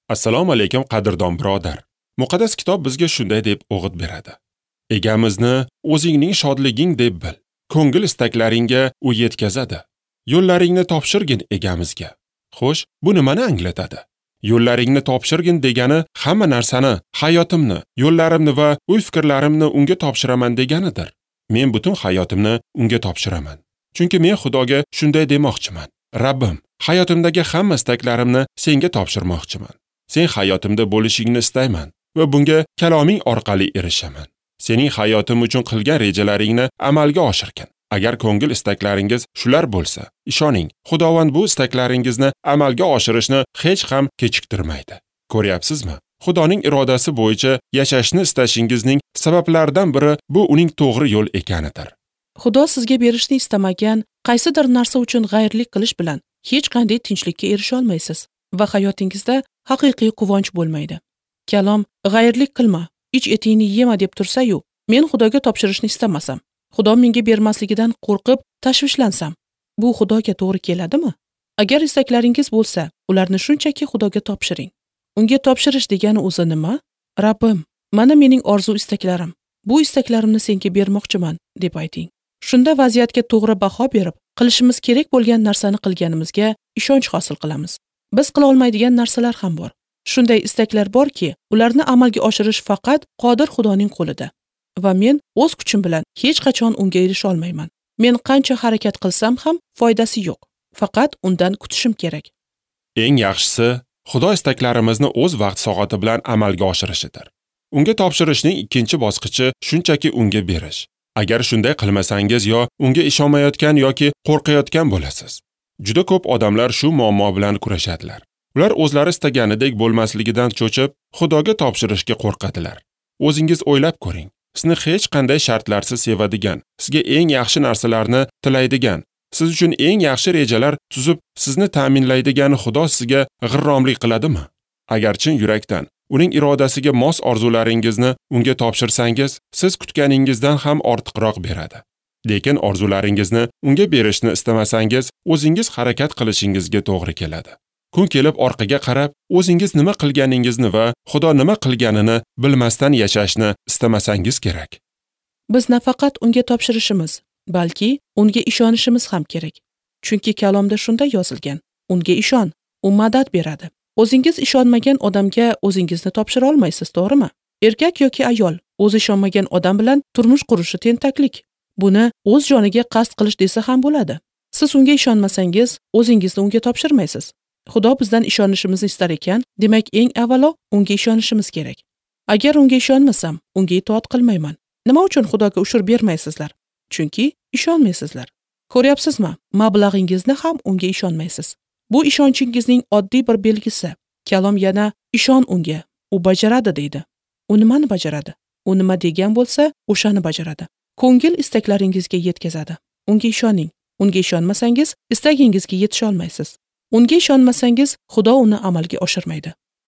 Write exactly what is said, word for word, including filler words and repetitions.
Assalomu alaykum qadrdon birodar. Muqaddas kitob bizga shunday deb o'g'it beradi. Egamizni o'zingning shodliging deb bil. Ko'ngil istaklaringga u yetkazadi. Yo'llaringni topshirgin egamizga. Xo'sh, bu nimani anglatadi? Yo'llaringni topshirgin degani hamma narsani, hayotimni, yo'llarimni va o'y-fikrlarimni unga topshiraman deganidir. Men butun hayotimni unga topshiraman. Chunki men Xudoga shunday demoqchiman. Rabbim, hayotimdagi hamma istaklarimni senga topshirmoqchiman. Sen hayotimda bo'lishingni istayman va bunga kaloming orqali erishaman. Sening hayotim uchun qilgan rejalaringni amalga oshirgin. Agar ko'ngil istaklaringiz shular bo'lsa, ishoning, Xudovand bu istaklaringizni amalga oshirishni hech ham kechiktirmaydi. Ko'ryapsizmi? Xudoning irodasi bo'yicha yashashni istashingizning sabablaridan biri bu uning to'g'ri yo'l ekanidir. Xudo sizga berishni istamagan qaysidir narsa uchun g'ayrlik qilish bilan hech qanday tinchlikka erisha olmaysiz va hayotingizda haqiqiy quvonch bo'lmaydi. Kalom g'ayrlik qilma, ich etingni yema deb tursa-yu, men Xudoga topshirishni istamasam, Xudo menga bermasligidan qo'rqib tashvishlansam, bu Xudoga to'g'ri keladimi? Agar istaklaringiz bo'lsa, ularni shunchaki Xudoga topshiring. Unga topshirish degani o'zi nima? Rabbim, mana mening orzu istaklarim. Bu istaklarimni senga bermoqchiman, deb ayting. Shunda vaziyatga to'g'ri baho berib, qilishimiz kerak bo'lgan narsani qilganimizga ishonch hosil qilamiz. Biz qila olmaydigan narsalar ham bor. Shunday istaklar borki, ularni amalga oshirish faqat qodir Xudoning qo'lida. Va men o'z kuchim bilan hech qachon unga erisha olmayman. Men qancha harakat qilsam ham foydasi yo'q. Faqat undan kutishim kerak. Eng yaxshisi, Xudo istaklarimizni o'z vaqt soati bilan amalga oshirishidir. Unga topshirishning ikkinchi bosqichi shunchaki unga berish. Agar shunday qilmasangiz yo unga ishonmayotgan yoki qo'rqayotgan bo'lasiz. Juda ko'p odamlar shu muammo bilan kurashadilar. Ular o'zlari istaganidek bo'lmasligidan cho'chib, Xudoga topshirishga qo'rqadilar. O'zingiz o'ylab ko'ring. Sizni hech qanday shartlarsiz sevadigan, sizga eng yaxshi narsalarni tilaydigan, siz uchun eng yaxshi rejalar tuzib, sizni ta'minlaydigan Xudo sizga g'irromlik qiladimi? Agar chin yurakdan uning irodasiga mos orzularingizni unga topshirsangiz, siz kutganingizdan ham ortiqroq beradi. Lekin orzularingizni unga berishni istamasangiz, o'zingiz harakat qilishingizga to'g'ri keladi. Kun kelib orqaga qarab, o'zingiz nima qilganingizni va Xudo nima qilganini bilmasdan yashashni istamasangiz kerak. Biz nafaqat unga topshirishimiz, balki unga ishonishimiz ham kerak. Chunki kalomda shunday yozilgan: unga ishon, u madad beradi. O'zingiz ishonmagan odamga o'zingizni topshira olmaysiz, to'g'rimi? Erkak yoki ayol o'zi ishonmagan odam bilan turmush qurishi tentaklik. Buni o'z joniga qasd qilish desa ham bo'ladi. Siz unga ishonmasangiz, o'zingizni unga topshirmaysiz. Xudo bizdan ishonishimizni istar ekan, demak eng avvalo unga ishonishimiz kerak. Agar unga ishonmasam, unga itoat qilmayman. Nima uchun Xudoga ushur bermaysizlar? Chunki ishonmaysizlar. Ko'ryapsizmi? Mablag'ingizni ham unga ishonmaysiz. Bu ishonchingizning oddiy bir belgisi. Kalom yana ishon unga, u bajaradi deydi. U nimani bajaradi? U nima degan bo'lsa, o'shani bajaradi. Ko'ngil istaklaringizga yetkazadi. Unga ishoning. Unga ishonmasangiz, istagingizga yetisha olmaysiz. Unga ishonmasangiz, Xudo uni amalga oshirmaydi.